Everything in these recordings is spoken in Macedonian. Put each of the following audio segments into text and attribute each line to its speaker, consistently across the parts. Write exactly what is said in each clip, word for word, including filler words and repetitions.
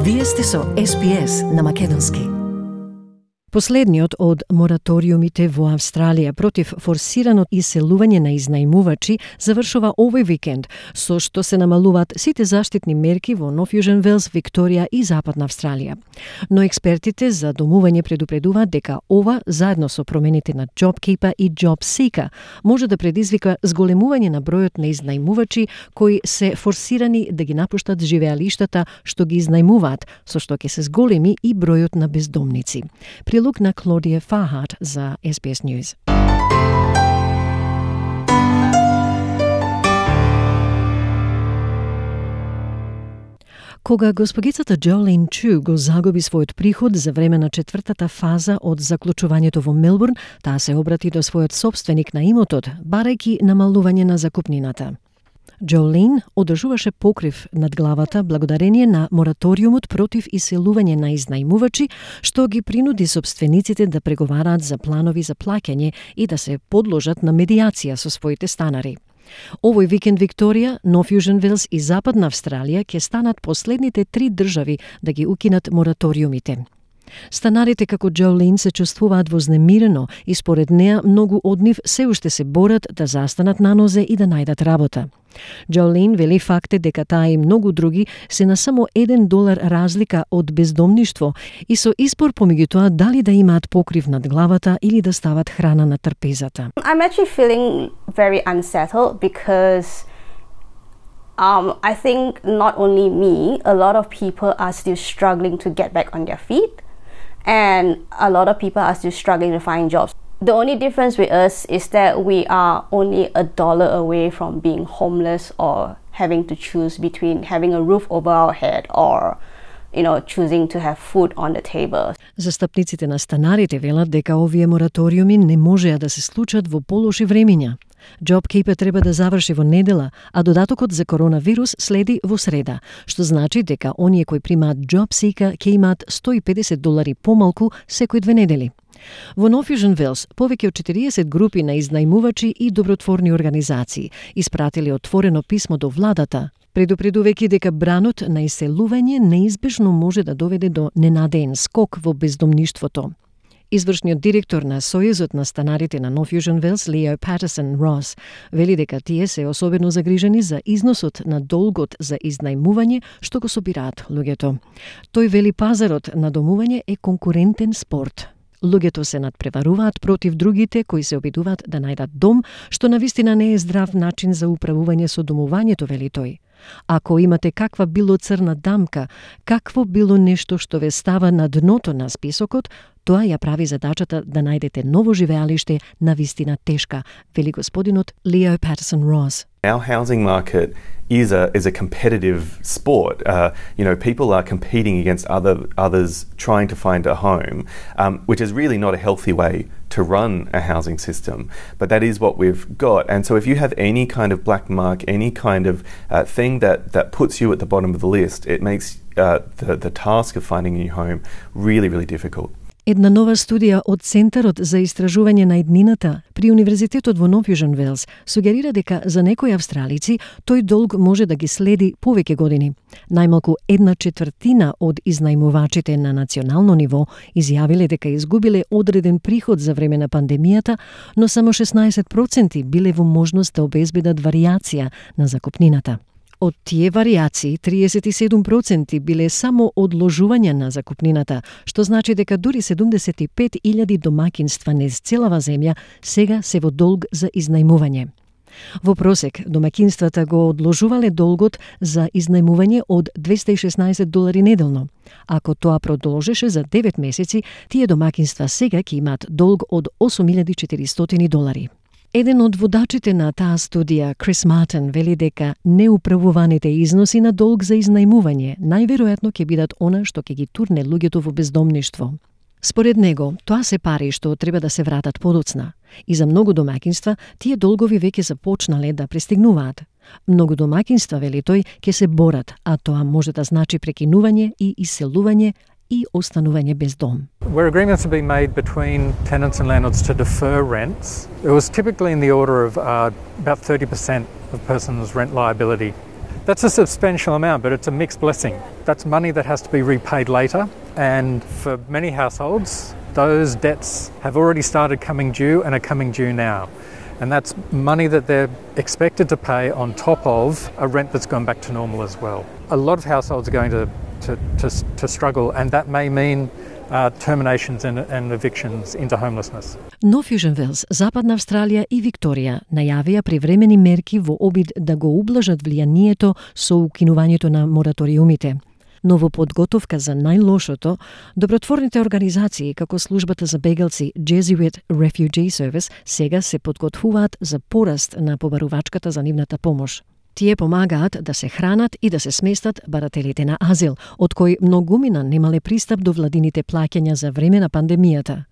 Speaker 1: Вие сте со Ес Би Ес на македонски.
Speaker 2: Последниот од мораториумите во Австралија против форсирано иселување на изнајмувачи завршува овој викенд, со што се намалуваат сите заштитни мерки во Нов Јужен Велс, Викторија и Западна Австралија. Но експертите за домување предупредуваат дека ова, заедно со промените на JobKeeper и JobSeeker, може да предизвика зголемување на бројот на изнајмувачи кои се форсирани да ги напуштат живеалиштата што ги изнајмуваат, со што ќе се зголеми и бројот на бездомници. Прилог на Клодија Фахат за Ес Би Ес News. Кога госпогицата Джолин Чу го загуби својот приход за време на четвртата фаза од заклучувањето во Мелбурн, таа се обрати до својот собственик на имотот, барајќи намалување на закупнината. Джолин одржуваше покрив над главата благодарение на мораториумот против иселување на изнајмувачи, што ги принуди собствениците да преговараат за планови за плаќање и да се подложат на медијација со своите станари. Овој викенд Викторија, Нов Јужен Велс и Западна Австралија ќе станат последните три држави да ги укинат мораториумите. Станарите како Джолин се чувствуваат вознемирено и според неа многу од нив се уште се борат да застанат на нозе и да најдат работа. Джолин вели факт е дека таа и многу други се на само еден долар разлика од бездомништво и со избор помеѓу тоа дали да имаат покрив над главата или да стават храна на трпезата.
Speaker 3: I'm actually feeling very unsettled because um, I think not only me, a lot of people are still struggling to get back on their feet. And a lot of people are still struggling to find jobs. The only difference with us is that we are only a dollar away from being homeless or having to choose between having a roof over our head or, you know, choosing to have food on the table.
Speaker 2: Застапниците на станарите велат дека овие мораториуми не можеа да се случат во полоши времиња. JobKeeper треба да заврши во недела, а додатокот за коронавирус следи во среда, што значи дека оние кои примаат JobSeeker ќе имаат сто и педесет долари помалку секој две недели. Во Нов Јужен Велс, повеќе од четириесет групи на изнајмувачи и добротворни организации испратили отворено писмо до владата, предупредувајќи дека бранот на иселување неизбежно може да доведе до ненадеен скок во бездомништвото. Извршниот директор на Сојузот на станарите на Нов Јужен Велс, Лео Патерсон Рос, вели дека тие се особено загрижени за износот на долгот за изнајмување што го собираат луѓето. Тој вели пазарот на домување е конкурентен спорт. Луѓето се надпреваруваат против другите кои се обидуваат да најдат дом, што навистина не е здрав начин за управување со домувањето, вели тој. Ако имате каква било црна дамка, какво било нешто што ве става на дното на списокот, тоа ја прави задачата да најдете ново живеалиште навистина тешка, вели господинот Лео Патерсон Рос.
Speaker 4: Our housing market is a is a competitive sport. Uh, you know, people are competing against other others trying to find a home, um, which is really not a healthy way to run a housing system. But that is what we've got. And so, if you have any kind of black mark, any kind of uh, thing that that puts you at the bottom of the list, it makes uh, the the task of finding a new home really, really difficult.
Speaker 2: Една нова студија од Центарот за истражување на иднината при Универзитетот во Нов Јужен Велс сугерира дека за некои австралици тој долг може да ги следи повеќе години. Најмалку една четвртина од изнајмувачите на национално ниво изјавиле дека изгубиле одреден приход за време на пандемијата, но само шеснаесет проценти биле во можност да обезбедат варијација на закупнината. Од тие варијации, триесет и седум проценти биле само одложување на закупнината, што значи дека дури седумдесет и пет илјади домакинства низ целава земја сега се во долг за изнајмување. Во просек, домакинствата го одложувале долгот за изнајмување од двесте и шеснаесет долари неделно. Ако тоа продолжеше за девет месеци, тие домакинства сега ќе имаат долг од осум илјади и четиристотини долари. Еден од водачите на таа студија, Крис Мартин, вели дека неуправуваните износи на долг за изнајмување најверојатно ќе бидат она што ќе ги турне луѓето во бездомништво. Според него, тоа се пари што треба да се вратат подоцна. И за многу домакинства, тие долгови веќе започнале да пристигнуваат. Многу домакинства, вели тој, ќе се борат, а тоа може да значи прекинување и иселување и останување без дом.
Speaker 5: Where agreements have been made between tenants and landlords to defer rents, it was typically in the order of uh, about thirty percent of a person's rent liability That's a substantial amount, but it's a mixed blessing. That's money that has to be repaid later, and for many households, those debts have already started coming due and are coming due now. And that's money that they're expected to pay on top of a rent that's gone back to normal as well. A lot of households are going to, to, to, to struggle, and that may mean uh, terminations and, and evictions into homelessness.
Speaker 2: Но Fusion Wells, Западна Австралија и Викторија најавија привремени мерки во обид да го ублажат влијанието со укинувањето на мораториумите. Но во подготовка за најлошото, добротворните организации како службата за бегалци Jesuit Refugee Service сега се подготвуваат за пораст на побарувачката за нивната помош. Тие помагаат да се хранат и да се сместат барателите на азил, од кои многумина немале пристап до владините плаќања за време на пандемијата.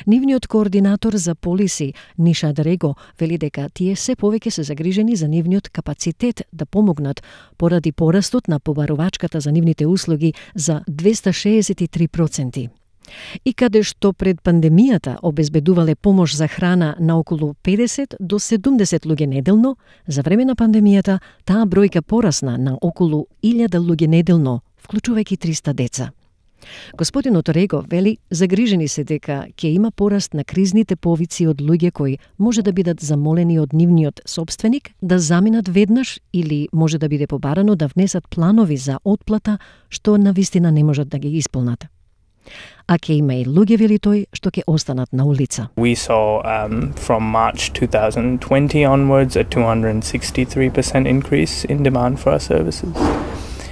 Speaker 2: Нивниот координатор за полиси, Ниша Дрего, вели дека тие се повеќе се загрижени за нивниот капацитет да помогнат поради порастот на побарувачката за нивните услуги за двеста шеесет и три проценти. И каде што пред пандемијата обезбедувале помош за храна на околу педесет до седумдесет луѓе неделно, за време на пандемијата таа бројка порасна на околу илјада луѓе неделно, вклучувајќи триста деца. Господин Оторего вели загрижени се дека ќе има пораст на кризните повици од луѓе кои може да бидат замолени од нивниот собственик да заминат веднаш или може да биде побарано да внесат планови за отплата што навистина не можат да ги исполнат. А ќе има и луѓе, вели тој, што ќе останат на улица.
Speaker 6: We saw um, from March twenty twenty onwards a two hundred sixty-three percent increase in demand for our services.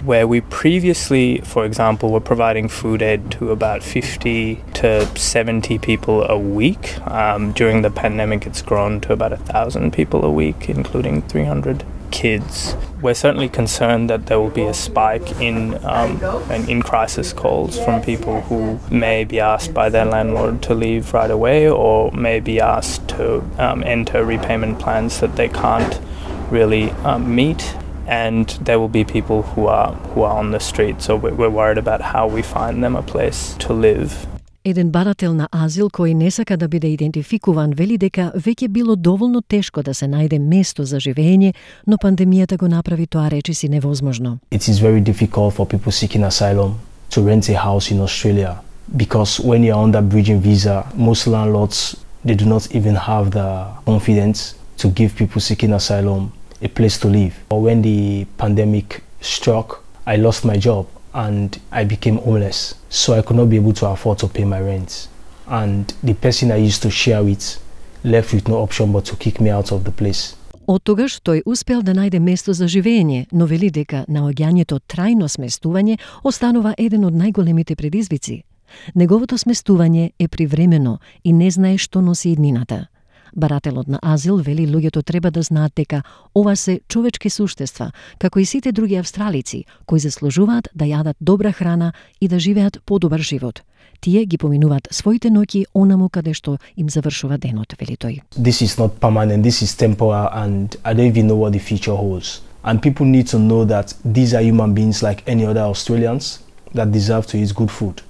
Speaker 6: Where we previously, for example, were providing food aid to about fifty to seventy people a week. Um, during the pandemic, it's grown to about one thousand people a week, including three hundred kids. We're certainly concerned that there will be a spike in um, and in crisis calls from people who may be asked by their landlord to leave right away, or may be asked to um, enter repayment plans that they can't really um, meet. And there will be people who are who are on the street, so we're worried about how we find them a place to live.
Speaker 2: Еден барател на азил кој не сака да биде идентификуван вели дека веќе било доволно тешко да се најде место за живење, но пандемијата го направи тоа речиси невозможно.
Speaker 7: It is very difficult for people seeking asylum to rent a house in Australia because when you are on that bridging visa, most landlords they do not even have the confidence to give people seeking asylum a place to live. Or when the pandemic struck, I lost my job and I became homeless. So I could not be able to afford to pay my rent. And the person I used to share with left with no option but to kick me out of the place.
Speaker 2: Оттогаш тој успел да најде место за живење, но вели дека наоѓањето трајно сместување останува еден од најголемите предизвици. Неговото сместување е привремено и не знае што носи иднината. Барателот на азил вели луѓето треба да знаат дека ова се човечки суштества, како и сите други австралици, кои заслужуваат да јадат добра храна и да живеат подобар живот. Тие ги поминуваат своите ноќи онаму каде што им завршува денот, вели тој.
Speaker 7: This is not permanent, this is temporal and I don't even know what the future holds. And people need to know that these are human beings like any other Australians that deserve to eat good food,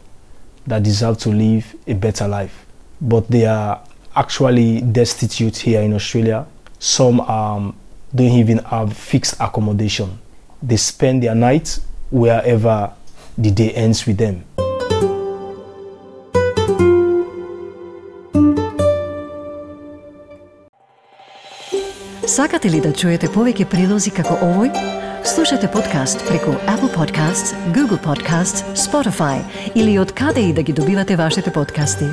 Speaker 7: that deserve to live a better life. But they are actually destitute here in Australia. Some um, don't even have fixed accommodation. They spend their night wherever the day ends with them.
Speaker 1: Сакате ли да чуете повеќе прилози како овој? Слушате подкаст преку Apple Podcasts, Google Podcasts, Spotify или од каде и да ги добивате вашите подкасти.